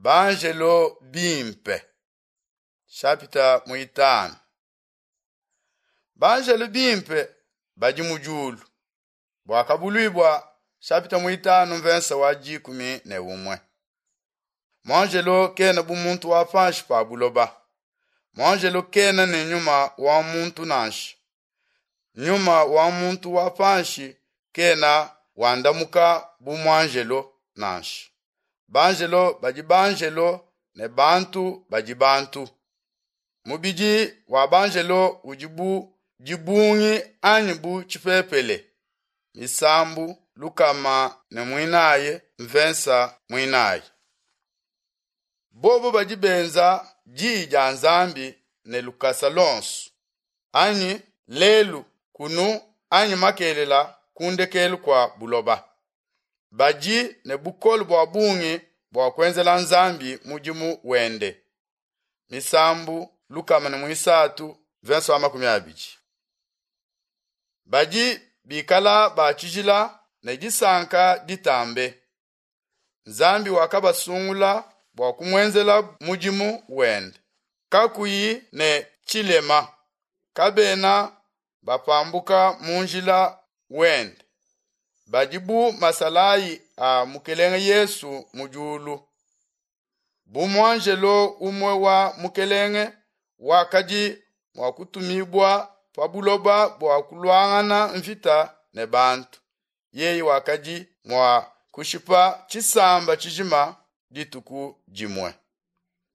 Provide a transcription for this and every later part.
Banjelo bimpe shapita muitanu Banjelo bimpe badi mu diulu Buakabuluibua shapita muitanu mvensa wa 11 Muanjelo kena bu muntu wa panshi pa buloba. Muanjelo kena ne nyuma wa muntu nansha. Nyuma wa muntu wa panshi kena wandamuka bu muanjelo nansha. Banjelo badi banjelo ne bantu badi bantu. Mubidi wa banjelo udi bu dibungi anyi bu tshipepele. Misambu 104 mvensa mwinayi. Bobo badi benza diyi dia Nzambi ne lukasa lonso anyi lelu kunu anyi makelela ku ndekelu kua buloba. Badi ne bukole bua bungi bua kuenzela Nzambi mudimu wende. Misambu 103 verse wa 20. Badi bikala ba tshijila ne disanka ditambe. Nzambi wakabasungula bua kumuenzela mudimu wende kakuyi ne tshilema. Kabena bapambuka mu njila wende. Badi bu masalayi a Mukelenge Yesu mu diulu. Bu muanjelo umue wa Mukelenge wakadi mua kutumibua pa buloba bua kuluangana mvita ne bantu. Yeye wakadi mua kushipa tshisamba tshijima dituku dimue.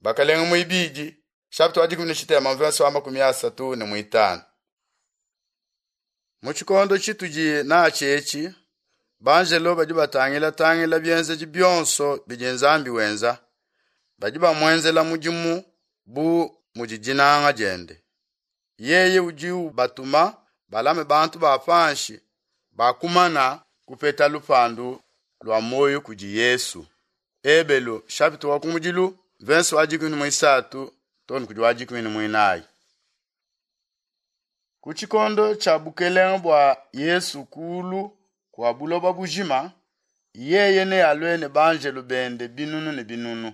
Bakalenge muibidi chapitre wa 13 verse wa 35. Mu tshikondo tshitudi natshi etshi, banjelo badi batangila-tangila bienzedi bionso bidi Nzambi wenza, badi bamuenzela mudimu bu mudi dinanga diende. Yeye udi ubatuma balame bantu ba panshi bakumana kupeta lupandu lua muoyo kudi Yesu. Ebelu chapitre wa kumudilu verse wa 13 too ne kudi wa 14. Ku tshikondo tshia bukelenge bua Yesu kulu kua buloba bujima, yeye nealue ne banjelo bende binunu ne binunu.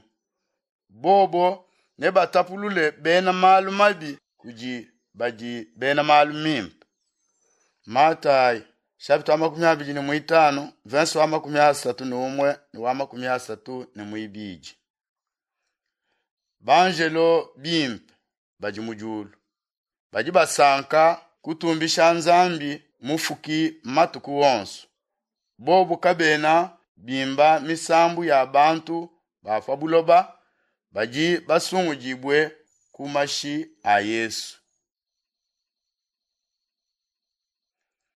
Bobo nebatapulule bena malu mabi kudi badi bena malu mimpe. Matayi chapitre wa 25 verse wa 31 ne wa 32. Banjelo bimpe badi mu diulu badi basanka kutumbisha Nzambi mufuki matuku onso. Bobu kabena bimba misambu ya bantu ba pa buloba badi basungudibue ku mashi a Yesu.